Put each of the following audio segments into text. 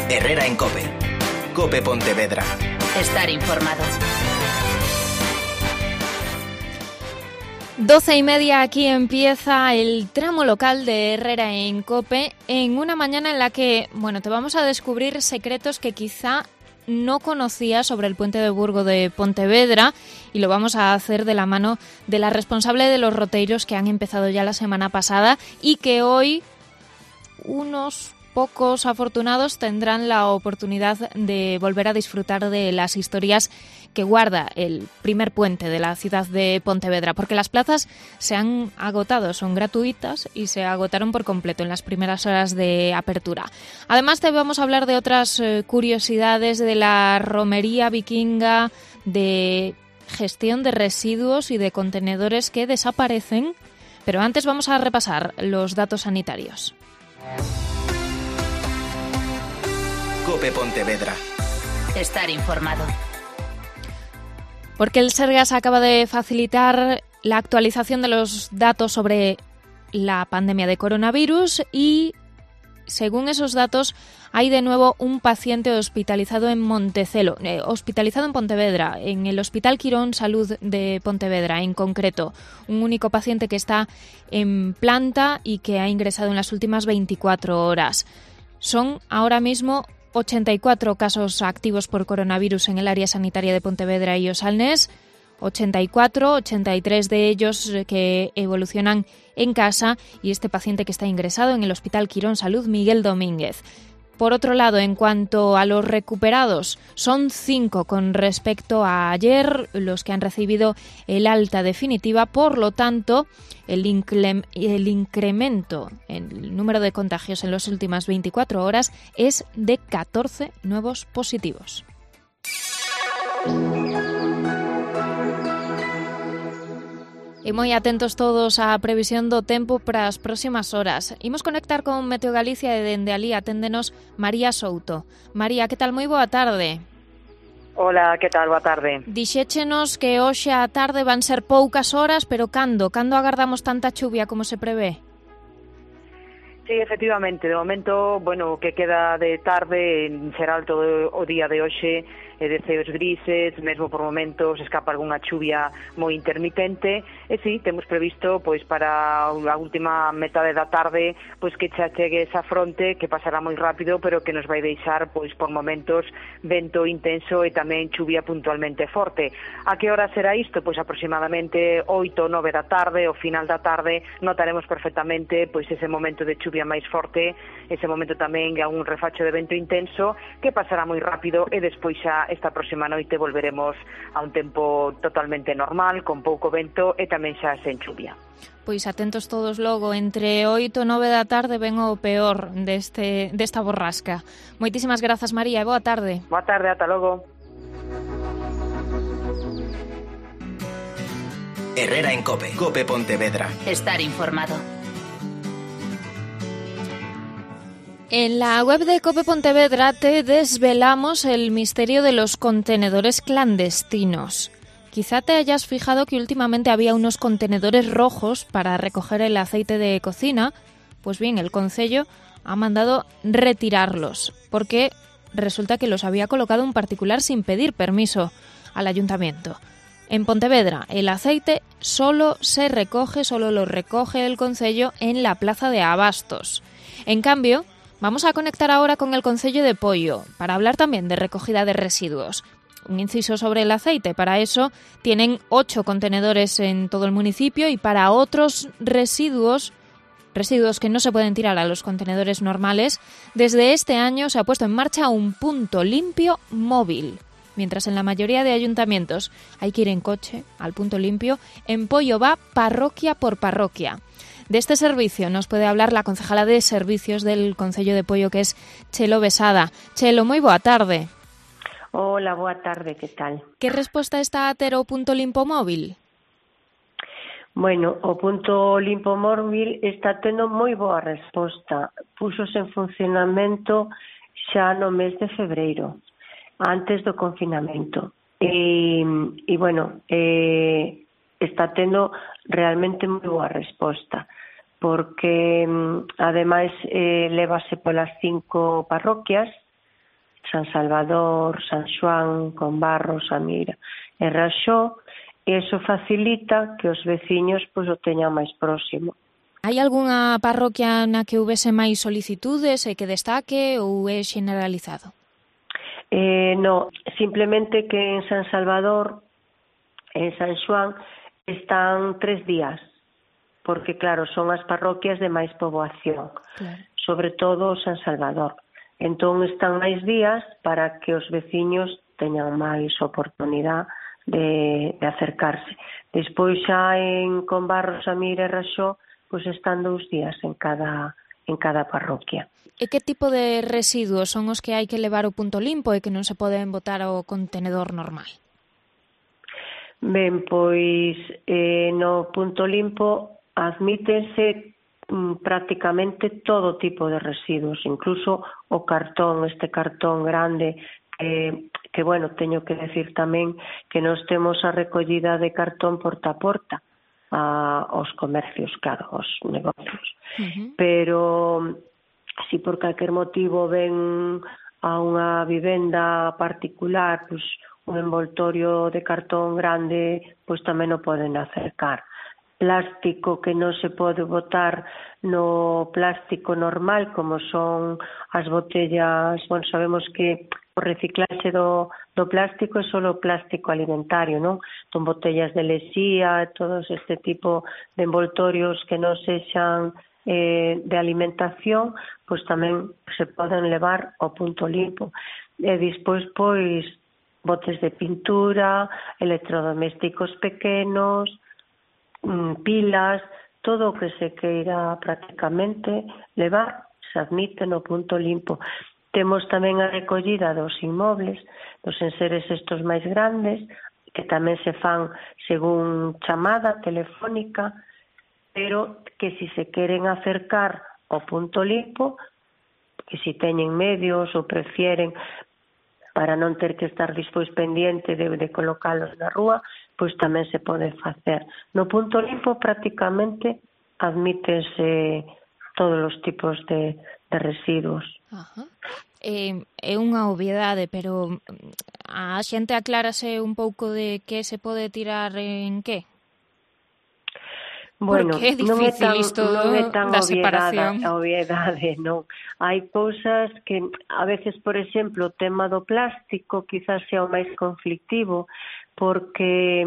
Herrera en COPE. COPE Pontevedra. Estar informado. 12:30, aquí empieza el tramo local de Herrera en COPE, en una mañana en la que, te vamos a descubrir secretos que quizá no conocías sobre el puente de Burgo de Pontevedra, y lo vamos a hacer de la mano de la responsable de los roteiros, que han empezado ya la semana pasada y que hoy unos pocos afortunados tendrán la oportunidad de volver a disfrutar de las historias que guarda el primer puente de la ciudad de Pontevedra, porque las plazas se han agotado, son gratuitas y se agotaron por completo en las primeras horas de apertura. Además, te vamos a hablar de otras curiosidades de la romería vikinga, de gestión de residuos y de contenedores que desaparecen, pero antes vamos a repasar los datos sanitarios. COPE Pontevedra. Estar informado. Porque el Sergas acaba de facilitar la actualización de los datos sobre la pandemia de coronavirus y, según esos datos, hay de nuevo un paciente hospitalizado en hospitalizado en Pontevedra, en el Hospital Quirón Salud de Pontevedra en concreto. Un único paciente que está en planta y que ha ingresado en las últimas 24 horas. Son ahora mismo 84 casos activos por coronavirus en el área sanitaria de Pontevedra y Osalnés, 83 de ellos que evolucionan en casa, y este paciente que está ingresado en el Hospital Quirón Salud Miguel Domínguez. Por otro lado, en cuanto a los recuperados, son 5 con respecto a ayer los que han recibido el alta definitiva. Por lo tanto, el incremento en el número de contagios en las últimas 24 horas es de 14 nuevos positivos. E moi atentos todos á previsión do tempo para as próximas horas. Imos conectar con Meteo Galicia e dende alí aténdenos María Souto. María, que tal? Moi boa tarde. Hola, que tal? Boa tarde. Dixéchenos que hoxe á tarde van ser poucas horas, pero cando agardamos tanta chuvia como se prevé? Sí, efectivamente, de momento, o que queda de tarde será todo o día de hoxe de ceos grises, mesmo por momentos escapa algunha chuvia moi intermitente, e sí, temos previsto para a última metade da tarde que xa chegue esa fronte que pasará moi rápido, pero que nos vai deixar por momentos vento intenso e tamén chuvia puntualmente forte. A que hora será isto? Aproximadamente 8 ou 9 da tarde, ao final da tarde notaremos perfectamente ese momento de chuvia máis forte, ese momento tamén a un refacho de vento intenso que pasará moi rápido, e despois xa esta próxima noite volveremos a un tempo totalmente normal, con pouco vento e tamén xa sen chuvia. Pois atentos todos logo, entre 8 e 9 da tarde ven o peor desta borrasca. Moitísimas grazas, María, e boa tarde. Boa tarde, ata logo. Herrera en COPE. COPE Pontevedra. Estar informado. En la web de COPE Pontevedra te desvelamos el misterio de los contenedores clandestinos. Quizá te hayas fijado que últimamente había unos contenedores rojos para recoger el aceite de cocina. Pues bien, el concello ha mandado retirarlos porque resulta que los había colocado un particular sin pedir permiso al ayuntamiento. En Pontevedra, el aceite solo lo recoge el concello en la plaza de Abastos. En cambio, vamos a conectar ahora con el concello de Poio para hablar también de recogida de residuos. Un inciso sobre el aceite. Para eso tienen 8 contenedores en todo el municipio, y para otros residuos que no se pueden tirar a los contenedores normales, desde este año se ha puesto en marcha un punto limpio móvil. Mientras en la mayoría de ayuntamientos hay que ir en coche al punto limpio, en Poio va parroquia por parroquia. De este servicio nos puede hablar la concejala de Servicios del Concello de Poio, que es Chelo Besada. Chelo, moi boa tarde. Hola, boa tarde, que tal? Que resposta está a ter o punto limpo móvil? Bueno, o punto limpo móvil está tendo moi boa resposta. Púxose en funcionamento xa no mes de febreiro, antes do confinamento. Está tendo realmente moi boa resposta, porque ademais lévase polas 5 parroquias San Salvador, San Xoán, Combarros, Amira e Raxó, e iso facilita que os veciños pois o teñan máis próximo. Hai algunha parroquia na que houvese máis solicitudes e que destaque ou é generalizado? No, simplemente que en San Salvador, en San Xoán, están 3 días, porque claro, son as parroquias de máis poboación, claro. Sobre todo San Salvador. Entón están máis días para que os veciños teñan máis oportunidade de acercarse. Despois xa en Combarros, Amira e Raxó, pois están 2 días en cada parroquia. E que tipo de residuos son os que hai que levar ao punto limpo e que non se poden botar ao contenedor normal? Ben, pois no punto limpo admítense prácticamente todo tipo de residuos, incluso o cartón, este cartón grande, que bueno, teño que decir tamén que nós temos a recollida de cartón porta a porta aos comercios, claro, aos negocios. Pero si por calquer motivo ven a unha vivenda particular, pues, un envoltorio de cartón grande, pois tamén o poden acercar. Plástico que non se pode botar no plástico normal, como son as botellas, bueno, sabemos que o reciclaxe do plástico é só plástico alimentario, non? Son botellas de lexía, todos este tipo de envoltorios que non sexan de alimentación, pois tamén se poden levar ao punto limpo. E despois, pois, botes de pintura, electrodomésticos pequenos, pilas, todo o que se queira prácticamente levar se admite no punto limpo. Temos tamén a recollida dos inmobles, dos enseres estos máis grandes, que tamén se fan según chamada telefónica, pero que si se queren acercar ao punto limpo, que si teñen medios ou prefieren para non ter que estar despois pendiente de colocalos na rúa, pois tamén se pode facer. No punto limpo prácticamente admítese todos os tipos de residuos. Ajá. É unha obviedade, pero a xente aclárase un pouco de que se pode tirar en que? Bueno, porque é difícil isto da separación. Obviedade, non. Hai cousas que, a veces, por exemplo, o tema do plástico quizás sea o máis conflictivo, porque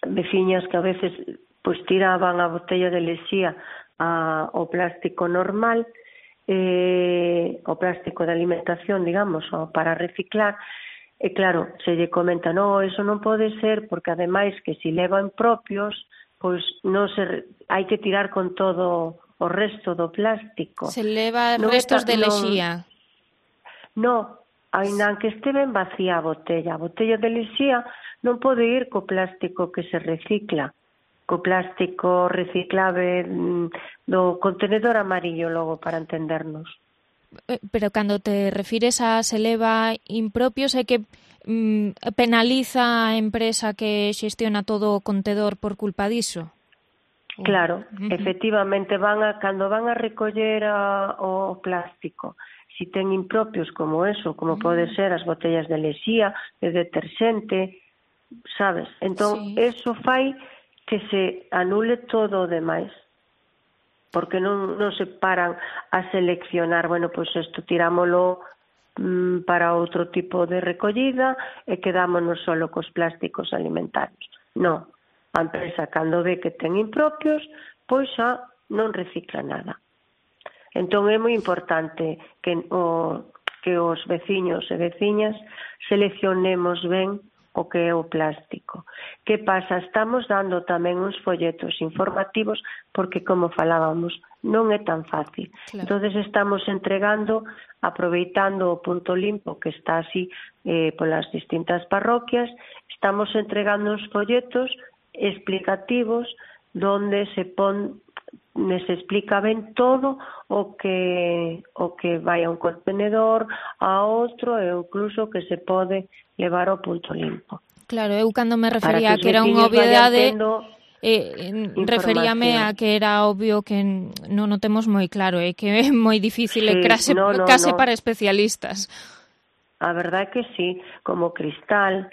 veciñas que a veces pois tiraban a botella de lexía ao plástico normal, o plástico de alimentación, digamos, para reciclar, e claro, se lle comenta, no, eso non pode ser, porque ademais que si levan propios, pois non se hai que tirar con todo o resto do plástico. Se leva restos de lexía. Non, aínda que este ben vacía a botella de lexía non pode ir co plástico que se recicla, co plástico reciclable do contenedor amarillo, logo, para entendernos. Pero cando te refires a se leva impropios, é que penaliza a empresa que xestiona todo o contedor por culpa diso? Claro, efectivamente, cando van a recoller o plástico, si ten impropios como eso, como pode ser as botellas de lexía, de deterxente, sabes? Entón, eso fai que se anule todo o demais, porque non se paran a seleccionar, bueno, pois isto tirámolo para outro tipo de recollida e quedámonos solo cos plásticos alimentarios. Non, a empresa cando ve que ten impropios, pois xa non recicla nada. Entón é moi importante que os veciños e veciñas seleccionemos ben o que é o plástico. Que pasa? Estamos dando tamén uns folletos informativos porque, como falábamos, non é tan fácil. Claro. Entonces estamos entregando, aproveitando o punto limpo que está así polas distintas parroquias, estamos entregando uns folletos explicativos donde se explica ben todo o que vai a un contenedor, a outro e incluso que se pode levar ao punto limpo. Claro, eu cando me refería a que era unha obviedade, referíame a que era obvio que non o temos moi claro, que é moi difícil, case para especialistas. A verdade é que sí, como o cristal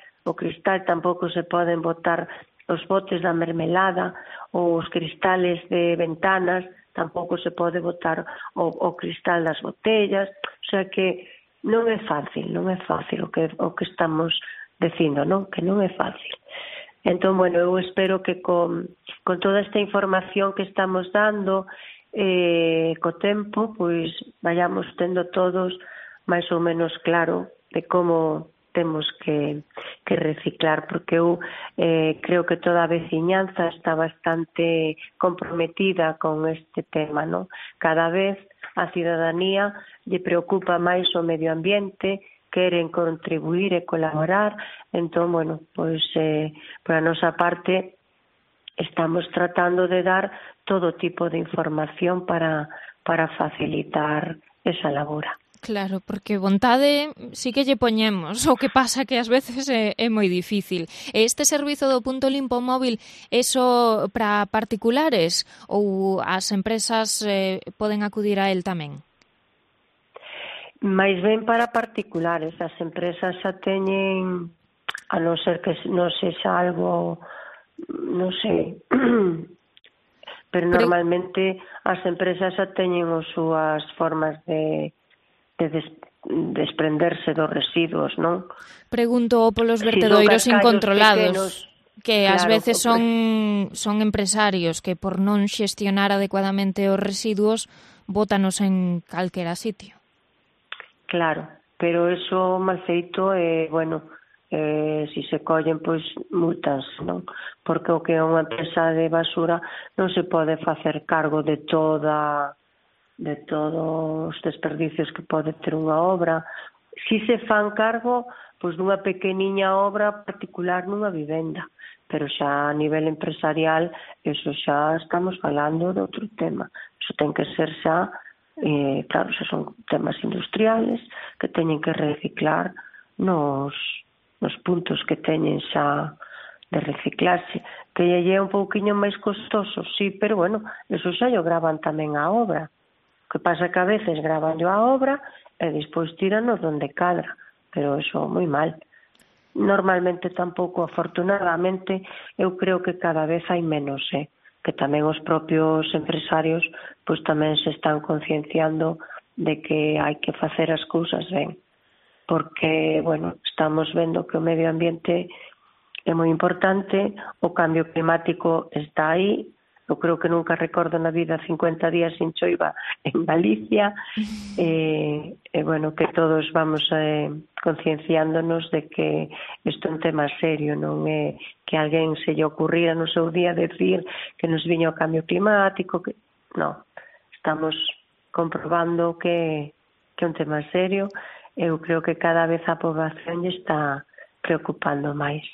tampouco se poden botar os botes da mermelada ou os cristales de ventanas, tampouco se pode botar o cristal das botellas, o sea que non é fácil o que estamos dicindo, non? Que non é fácil. Entón, bueno, eu espero que con toda esta información que estamos dando, co tempo, pois vayamos tendo todos máis ou menos claro de como temos que reciclar, porque eu creo que toda a veciñanza está bastante comprometida con este tema, non? Cada vez a cidadanía lle preocupa máis o medio ambiente, queren contribuir e colaborar, entón, bueno, pois por a nosa parte estamos tratando de dar todo tipo de información para facilitar esa labora. Claro, porque vontade sí que lle poñemos, o que pasa que ás veces é moi difícil. Este servizo do punto limpo móvil é só para particulares ou as empresas poden acudir a el tamén? Mais ben para particulares, as empresas xa teñen, a non ser que non sexa algo, non sei, pero normalmente as empresas xa teñen as súas formas de desprenderse dos residuos, non? Pregunto polos vertedoiros incontrolados, que ás claro, veces son empresarios que por non xestionar adecuadamente os residuos bótanos en calquera sitio. Claro, pero eso mal feito bueno, si se collen, pois multas, non? Porque o que é unha empresa de basura non se pode facer cargo de todos os desperdicios que pode ter unha obra. Si se fan cargo, pois dunha pequeniña obra particular nunha vivenda, pero xa a nivel empresarial, eso xa estamos falando de outro tema. Eso ten que ser xa, claro, xa son temas industriales que teñen que reciclar nos puntos que teñen xa de reciclarse, que lle é un pouquiño máis costoso, sí, pero bueno, eso xa lle gravan tamén a obra. O que pasa que a veces gravan a obra e despois tiranos donde cadra, pero eso moi mal. Normalmente tampouco, afortunadamente, eu creo que cada vez hai menos, que tamén os propios empresarios pois tamén se están concienciando de que hai que facer as cousas ben, porque, bueno, estamos vendo que o medio ambiente é moi importante, o cambio climático está aí. Eu creo que nunca recordo na vida 50 días sin choiva en Galicia, bueno, que todos vamos concienciándonos de que isto é un tema serio, non é que alguén se lle ocurrira no seu día decir que nos viña o cambio climático, que non, estamos comprobando que é un tema serio. Eu creo que cada vez a poboación lle está preocupando máis,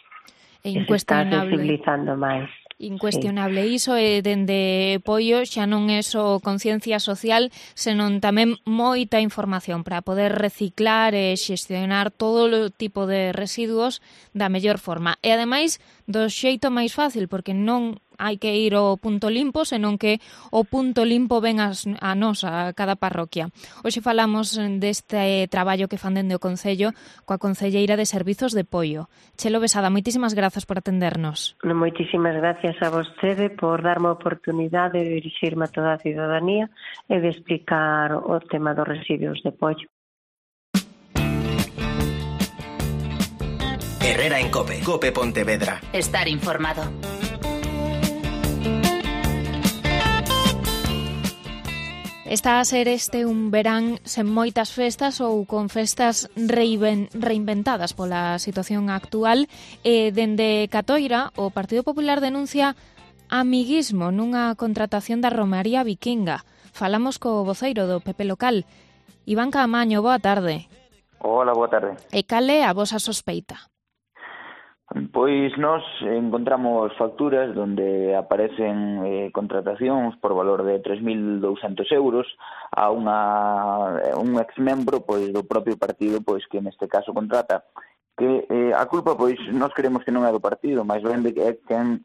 e se está sensibilizando máis. Incuestionable, sí. Iso é dende Poio, xa non é só conciencia social, senón tamén moita información para poder reciclar e xestionar todo o tipo de residuos da mellor forma. E ademais, do xeito máis fácil, porque non hai que ir ao punto limpo, senón que o punto limpo ven a nos, a cada parroquia. Hoxe falamos deste traballo que fan dende o Concello coa concelleira de Servizos de Poio. Chelo Besada, moitísimas grazas por atendernos. Moitísimas gracias a vostede por darme a oportunidade de dirixirme a toda a cidadanía e de explicar o tema dos residuos de pollo. Herrera en COPE. COPE Pontevedra. Estar informado. Está a ser este un verán sen moitas festas ou con festas reinventadas pola situación actual, e dende Catoira o Partido Popular denuncia amiguismo nunha contratación da Romaría Vikinga. Falamos co voceiro do PP local. Iván Caamaño, boa tarde. Hola, boa tarde. E cal é a vosa sospeita? Pois nós encontramos facturas onde aparecen contratacións por valor de 3.200 euros a un exmembro pois do propio partido pois que neste caso contrata, que a culpa, pois, nós creemos que non é do partido, máis ben de que é quen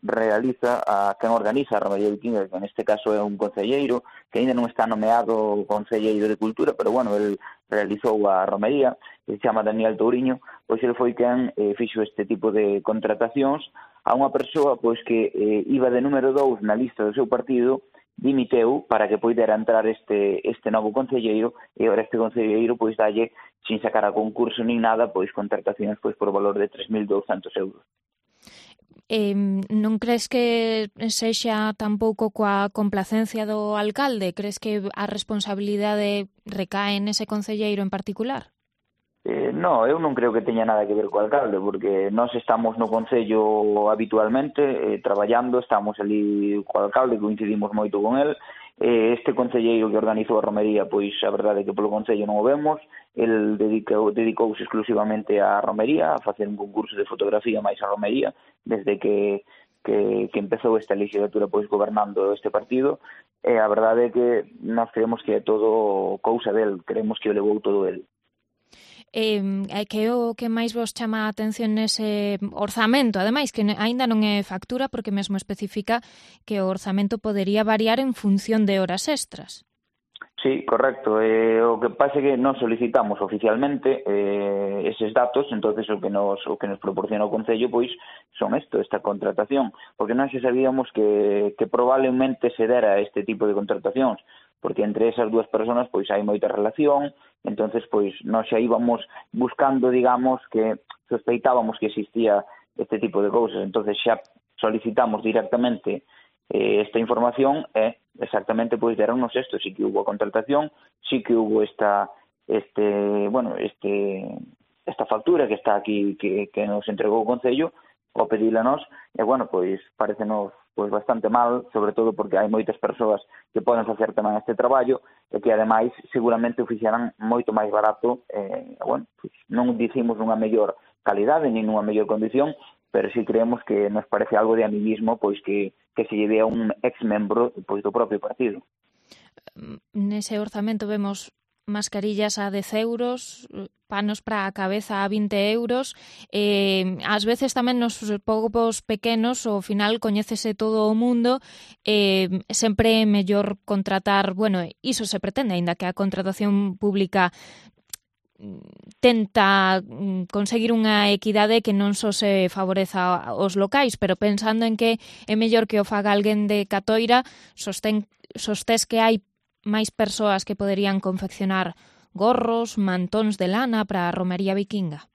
organiza a Romería Viquinga, que neste caso é un concelleiro, que ainda non está nomeado concelleiro de Cultura, pero, bueno, el realizou a Romería, que se chama Daniel Touriño, pois ele foi quen fixo este tipo de contratacións a unha persoa, pois, que iba de número 2 na lista do seu partido, dimiteu para que poidera entrar este novo concelleiro, e agora este concelleiro pois dalle, sin sacar a concurso nin nada, pois contratacións pois por valor de 3.200 euros. Non crees que sexa tampouco coa complacencia do alcalde? Crees que a responsabilidade recae nese concelleiro en particular? No, eu non creo que teña nada que ver co alcalde, porque nós estamos no Concello habitualmente, traballando, estamos ali co alcalde, coincidimos moito con el. Este concelleiro que organizou a romería, pois a verdade é que polo Concello non o vemos, el dedicouse exclusivamente á romería, a facer un concurso de fotografía máis a romería, desde que empezou esta legislatura pois gobernando este partido, e a verdade é que nós creemos que é todo cousa del, creemos que o levou todo el. Que o que máis vos chama a atención nese orzamento, ademais que aínda non é factura porque mesmo especifica que o orzamento podería variar en función de horas extras. Sí, correcto. O que pasa é que non solicitamos oficialmente eses datos, entonces o que nos proporciona o Concello pois son esta contratación, porque nós xa sabíamos que probablemente se dera este tipo de contratacións, porque entre esas dúas persoas pois hai moita relación, entonces pois nós xa íbamos buscando, digamos, que sospeitábamos que existía este tipo de cousas, entonces xa solicitamos directamente esta información e exactamente pois deronnos isto, sí que hubo a contratación, sí que hubo esta factura que está aquí que nos entregou o Concello ao pedila nós, e bueno, pois parecenos pois bastante mal, sobre todo porque hai moitas persoas que poden facer tamén este traballo e que ademais seguramente o fixeran moito máis barato, bueno, pois non dicimos nunha mellor calidade nin nunha mellor condición, pero si creemos que nos parece algo de amiguismo pois que se lleve a un ex-membro pois do propio partido. Nese orzamento vemos mascarillas a 10 euros, panos para a cabeza a 20 euros, ás veces tamén nos povos pequenos ao final coñécese todo o mundo, sempre é mellor contratar, bueno, iso se pretende, aínda que a contratación pública tenta conseguir unha equidade que non só se favoreza aos locais, pero pensando en que é mellor que o faga alguén de Catoira, sostés que hai máis persoas que poderían confeccionar gorros, mantóns de lana para a romería viquinga.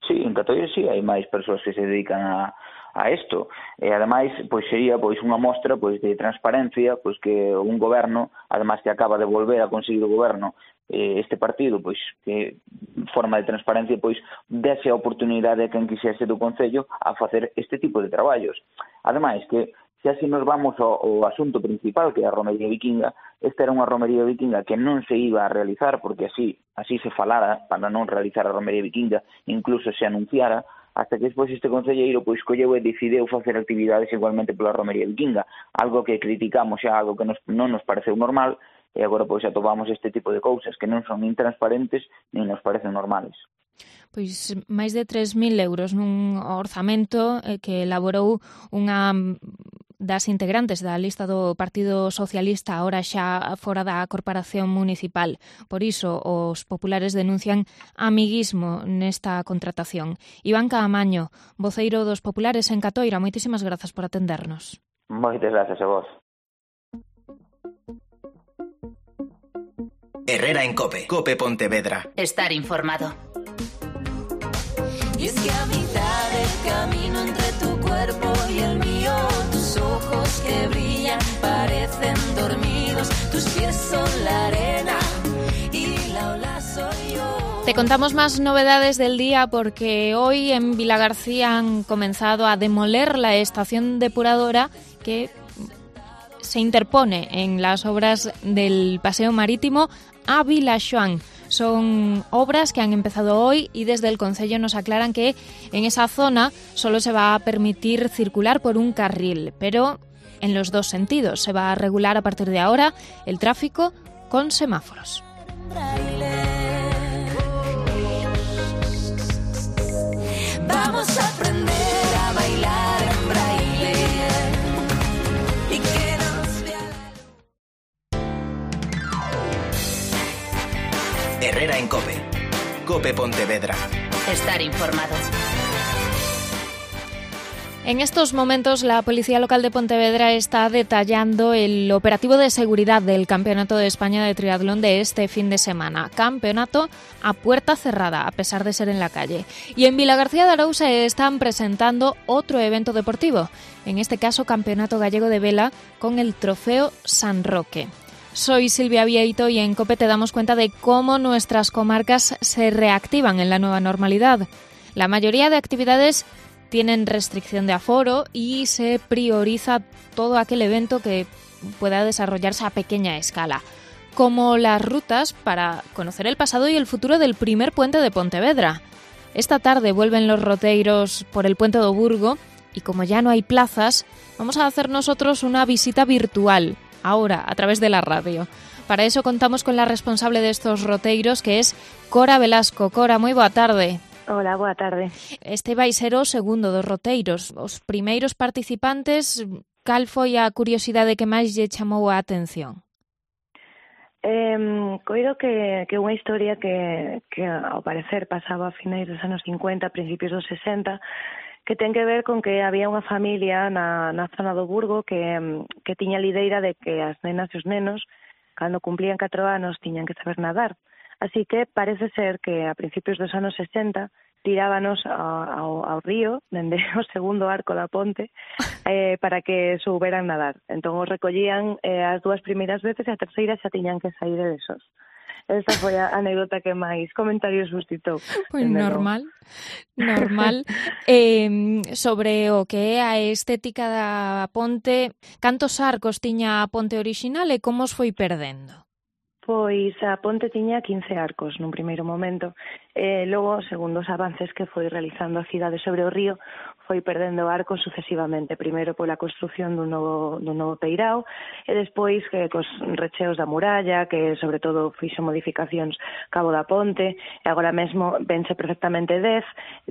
Sí, en Catoira sí, hai máis persoas que se dedican a isto. E ademais, pois sería pois unha mostra pois de transparencia, pois que un goberno, ademais que acaba de volver a conseguir o goberno este partido, pois que forma de transparencia, pois dese a oportunidade a quen quixese do Concello a facer este tipo de traballos. Ademais que se así nos vamos ao asunto principal, que é a romería viquinga, esta era unha romería viquinga que non se iba a realizar, porque así se falara para non realizar a romería viquinga, incluso se anunciara, hasta que despois este concelleiro pois colleu e decideu facer actividades igualmente pola romería viquinga, algo que criticamos xa, algo que non nos pareceu normal, e agora pois atopamos este tipo de cousas que non son nin transparentes nin nos parecen normales. Pois máis de 3.000 euros nun orzamento que elaborou unha das integrantes da lista do Partido Socialista, ahora xa fora da Corporación Municipal. Por iso, os populares denuncian amiguismo nesta contratación. Iván Caamaño, voceiro dos populares en Catoira, moitísimas grazas por atendernos. Moitas grazas a vos. Herrera en COPE. COPE Pontevedra. Estar informado. Y es que a mitad del camino entre tu cuerpo y el mío, tus ojos que brillan parecen dormidos, tus pies son la arena y la ola soy yo. Te contamos más novedades del día porque hoy en Vilagarcía han comenzado a demoler la estación depuradora que se interpone en las obras del paseo marítimo a Vilaxoán. Son obras que han empezado hoy y desde el Concello nos aclaran que en esa zona solo se va a permitir circular por un carril, pero en los dos sentidos. Se va a regular a partir de ahora el tráfico con semáforos. Herrera en COPE. COPE Pontevedra. Estar informado. En estos momentos, la Policía Local de Pontevedra está detallando el operativo de seguridad del Campeonato de España de Triatlón de este fin de semana. Campeonato a puerta cerrada, a pesar de ser en la calle. Y en Vilagarcía de Araúz se están presentando otro evento deportivo, en este caso Campeonato Gallego de Vela con el Trofeo San Roque. Soy Silvia Vieito y en COPE te damos cuenta de cómo nuestras comarcas se reactivan en la nueva normalidad. La mayoría de actividades tienen restricción de aforo y se prioriza todo aquel evento que pueda desarrollarse a pequeña escala, como las rutas para conocer el pasado y el futuro del primer puente de Pontevedra. Esta tarde vuelven los roteiros por el puente do Burgo y como ya no hay plazas, vamos a hacer nosotros una visita virtual, ahora a través de la radio. Para eso contamos con la responsable de estos roteiros, que es Cora Velasco. Cora, moi boa tarde. Hola, boa tarde. Este vai ser o segundo dos roteiros. Os primeiros participantes, cal foi a curiosidade que máis lle chamou a atención? Coido que unha historia que ao parecer pasaba a finais dos anos 50, principios dos 60, que ten que ver con que había unha familia na zona do Burgo que tiña a lideira de que as nenas e os nenos, cando cumplían 4 anos, tiñan que saber nadar. Así que parece ser que a principios dos anos 60 tirábanos ao río, dende o segundo arco da ponte, para que souberan nadar. Entón os recollían as 2 primeiras veces e a terceira xa tiñan que sair desos. Esta foi a anécdota que máis comentarios suscitou. Pois normal. Sobre o que é a estética da ponte, cantos arcos tiña a ponte orixinal e como os foi perdendo? Pois a ponte tiña 15 arcos nun primeiro momento. Logo, segundo os avances que foi realizando a cidade sobre o río, foi perdendo arcos sucesivamente. Primeiro pola construción dun novo peirao e despois cos recheos da muralla, que sobre todo fixo modificacións cabo da ponte, e agora mesmo vense perfectamente 10,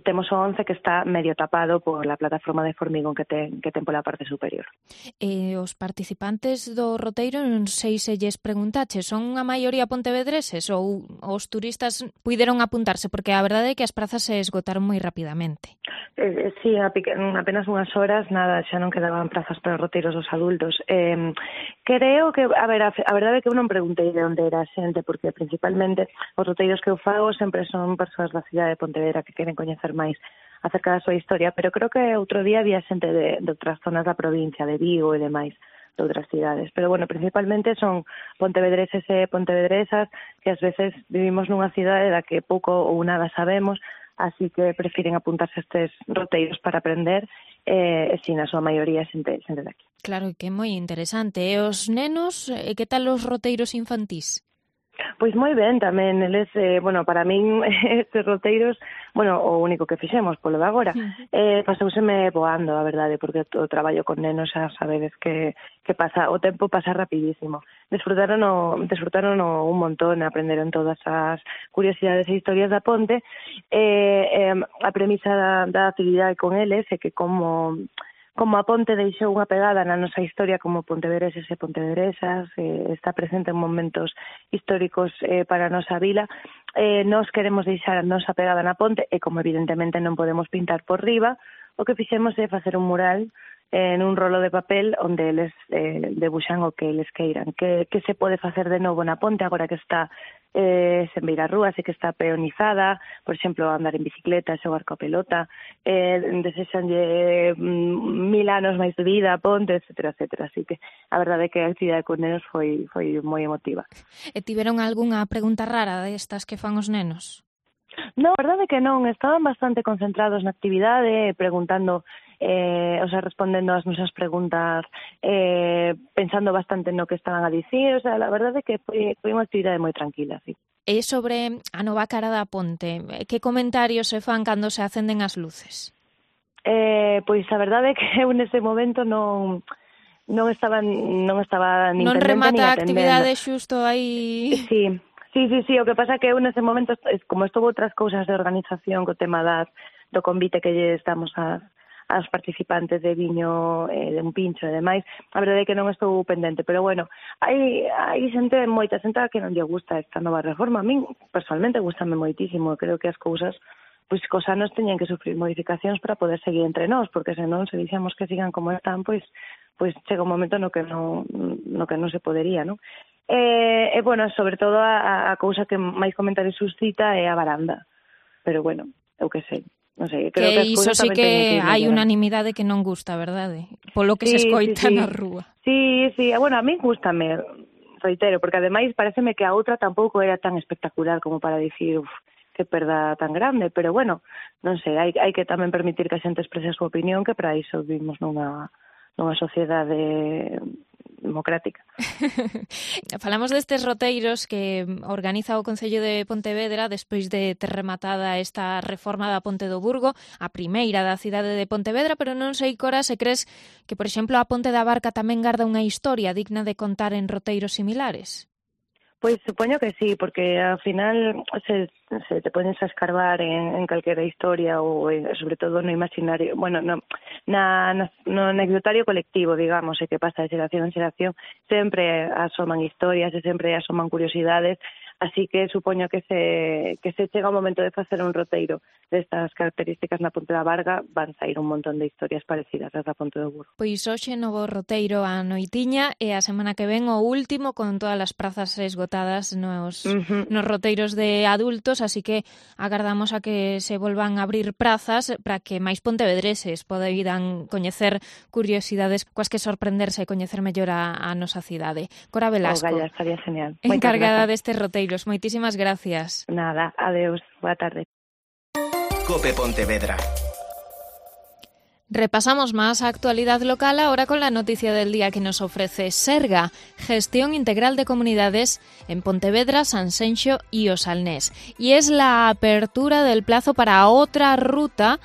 temos o 11 que está medio tapado pola plataforma de formigón que ten pola parte superior. Os participantes do roteiro, non sei se lles preguntache, son a maioría pontevedreses ou os turistas puideron apuntarse? Porque a verdade é que as prazas se esgotaron moi rapidamente. Sí, apenas unhas horas, nada, xa non quedaban prazas para os roteiros dos adultos. Creo que, a verdade é que eu non preguntei de onde era a xente, porque principalmente os roteiros que eu fago sempre son persoas da cidade de Pontevedra que queren coñecer máis acerca da súa historia, pero creo que outro día había xente de outras zonas da provincia, de Vigo e demais, de outras cidades. Pero, bueno, principalmente son pontevedreses e pontevedresas que ás veces vivimos nunha cidade da que pouco ou nada sabemos, así que prefiren apuntarse a estes roteiros para aprender, e si na súa maioría xente daqui. Claro, que é moi interesante. E os nenos, que tal os roteiros infantís? Pois moi ben tamén, eles, para min estes roteiros, o único que fixemos polo de agora, pasouseme voando, a verdade, porque o traballo con nenos xa sabedes que pasa, o tempo pasa rapidísimo. Desfrutaron un montón, aprenderon todas as curiosidades e historias da ponte, a premisa da actividade con eles é que como a ponte deixou unha pegada na nosa historia como pontevedreses e pontevedresas, está presente en momentos históricos para a nosa vila, nós queremos deixar a nosa pegada na ponte e como evidentemente non podemos pintar por riba, o que fixemos é facer un mural en un rolo de papel onde eles debuxan o que eles queiran. Que se pode facer de novo na ponte agora que está sen vir a rúa, que está peonizada, por exemplo, andar en bicicleta, xogar coa pelota, desexanlle 1000 anos máis de vida a ponte, etcétera, etcétera. Así que a verdade é que a actividade con nenos foi moi emotiva. E tiveron algunha pregunta rara destas que fan os nenos? Non, a verdade é que non, estaban bastante concentrados na actividade, preguntando, respondendo ás nosas preguntas, pensando bastante no que estaban a dicir, a verdade é que foi unha actividade moi tranquila, sí. E sobre a nova cara da ponte, que comentarios se fan cando se acenden as luces? Pois a verdade é que eu nese momento non estaba nin non pendente nin atendendo. Non remata a actividade xusto aí... Sí, o que pasa é que eu nese momento, como estuvo outras cousas de organización co tema do convite que lle estamos a aos participantes de viño, de un pincho e demais, a verdade é que non estou pendente, pero bueno, hai moita xente que non lle gusta esta nova reforma. A min, personalmente, gustame moitísimo, creo que as cousas pois cos anos teñen que sufrir modificacións para poder seguir entre nós, porque senón se dixemos que sigan como están, pois chega un momento no que non se podería, non? E bueno, sobre todo a cousa que máis comentarios suscita é a varanda. Pero bueno, eu que sei, non sei, creo que iso sí que hai unanimidade que non gusta, verdade? Polo que se escoita na rúa. Sí, bueno, a mí gústame, reitero, porque ademais pareceme que a outra tampouco era tan espectacular como para dicir, que perda tan grande, pero bueno, non sei, hai que tamén permitir que a xente exprese a súa opinión, que para iso vivimos nunha sociedade democrática. Falamos destes roteiros que organiza o Concello de Pontevedra despois de ter rematada esta reforma da Ponte do Burgo, a primeira da cidade de Pontevedra, pero non sei, Cora, se crees que, por exemplo, a Ponte da Barca tamén garda unha historia digna de contar en roteiros similares? Pois supoño que sí, porque ao final se te pones a escarbar en calquera historia ou sobre todo no imaginario, bueno, no anecdotario colectivo, digamos, que pasa de xeración en xeración, sempre asoman historias e sempre asoman curiosidades, así que supoño que se chega o momento de facer un roteiro destas características na Ponte da Varga, van sair un montón de historias parecidas ás da Ponte do Burgo. Pois hoxe novo roteiro a noitiña e a semana que ven o último con todas as prazas esgotadas nos roteiros de adultos, así que agardamos a que se volvan a abrir prazas para que máis pontevedreses poidan coñecer curiosidades coas que sorprenderse e coñecer mellor a nosa cidade. Cora Velasco, Galla, estaría genial. Encargada destes roteiros. Moitísimas gracias. Nada, adeus, boa tarde. Cope Pontevedra. Repasamos más actualidad local ahora con la noticia del día que nos ofrece Serga, Gestión Integral de Comunidades en Pontevedra, Sanxenxo y Osalnés. Y es la apertura del plazo para otra ruta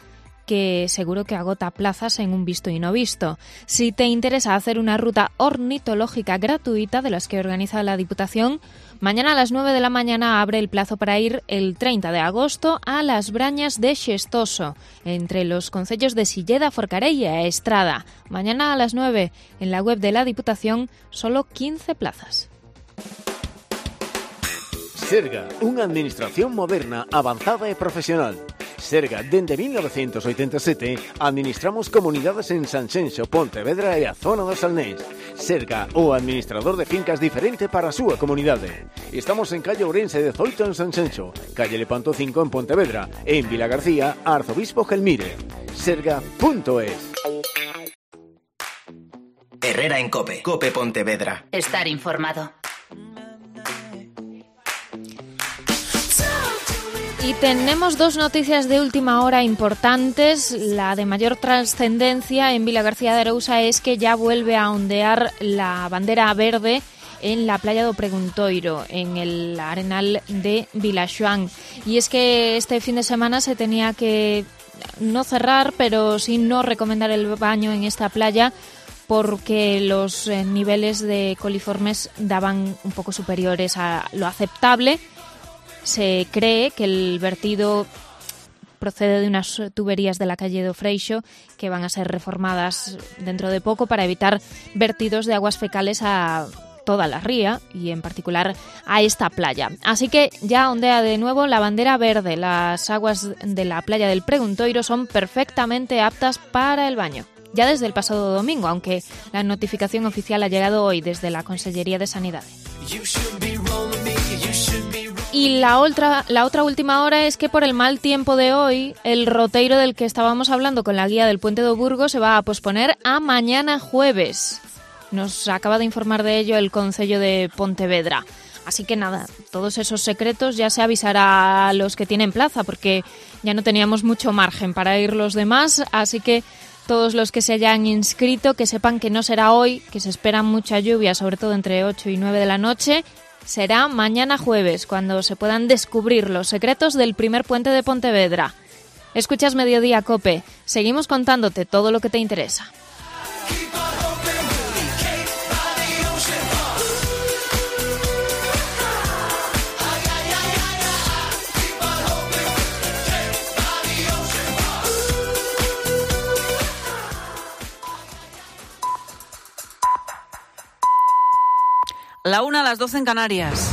que seguro que agota plazas en un visto y no visto. Si te interesa hacer una ruta ornitológica gratuita de las que organiza la Diputación, mañana a las 9 de la mañana abre el plazo para ir el 30 de agosto a las Brañas de Xestoso, entre los concellos de Silleda, Forcarei e Estrada. Mañana a las 9, en la web de la Diputación, solo 15 plazas. Serga, unha administración moderna, avanzada e profesional. Serga, dende 1987, administramos comunidades en Sanxenxo, Pontevedra e a zona do Salnés. Serga, o administrador de fincas diferente para a súa comunidade. Estamos en calle Ourense 18 en Sanxenxo, calle Lepanto 5 en Pontevedra e en Vila García, Arzobispo Gelmire. Serga.es. Herrera en Cope. Cope Pontevedra. Estar informado. Y tenemos dos noticias de última hora importantes. La de mayor trascendencia en Vila García de Arousa es que ya vuelve a ondear la bandera verde en la playa do Preguntoiro, en el arenal de Vilaxoán. Y es que este fin de semana se tenía que no cerrar, pero sí no recomendar el baño en esta playa porque los niveles de coliformes daban un poco superiores a lo aceptable. Se cree que el vertido procede de unas tuberías de la calle do Freixo que van a ser reformadas dentro de poco para evitar vertidos de aguas fecales a toda la ría y en particular a esta playa. Así que ya ondea de nuevo la bandera verde. Las aguas de la playa del Preguntoiro son perfectamente aptas para el baño. Ya desde el pasado domingo, aunque la notificación oficial ha llegado hoy desde la Consellería de Sanidad. Y la otra última hora es que por el mal tiempo de hoy, el roteiro del que estábamos hablando con la guía del Puente do Burgo se va a posponer a mañana jueves. Nos acaba de informar de ello el Concello de Pontevedra. Así que nada, todos esos secretos ya se avisará a los que tienen plaza, porque ya no teníamos mucho margen para ir los demás, así que todos los que se hayan inscrito, que sepan que no será hoy, que se espera mucha lluvia, sobre todo entre 8 y 9 de la noche. Será mañana jueves, cuando se puedan descubrir los secretos del primer puente de Pontevedra. Escuchas Mediodía Cope. Seguimos contándote todo lo que te interesa. la 1, a las 12 en Canarias.